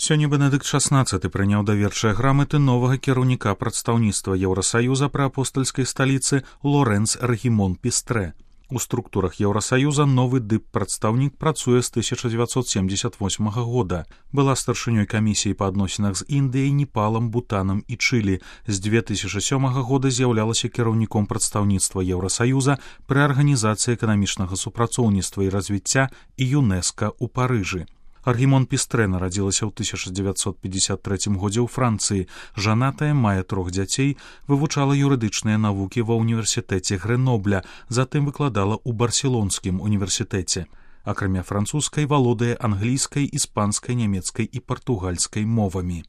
Сёння Бенедыкт XVI прыняў даверчыя граматы новага кіраўніка прадстаўніцтва Еўрасаюза пры апостальскай сталіцы Лорэнц Рэгімон Пістрэ. У структурах Еўрасаюза новы дып-прадстаўнік працуе з 1978 года. Была старшынёй камісіі па адносінах з Індыяй, Непалам, Бутанам і Чылі. З 2007 года з'яўлялася кіраўніком прадстаўніцтва Еўрасаюза пры арганізацыі эканамічнага супрацоўніцтва і развіцця і ЮНЕСКА ў Парыжы. Рэгімон Пістрэ нарадзілася ў 1953 годзе ў Францыі. Жанатая, мае 3 дзяцей, вывучала юрыдычныя навукі ва ўніверсітэце Грэнобля, затым выкладала ў Барселонскім універсітэце. Акрамя французскай валодае англійскай, іспанскай, нямецкай і партугальскай мовамі.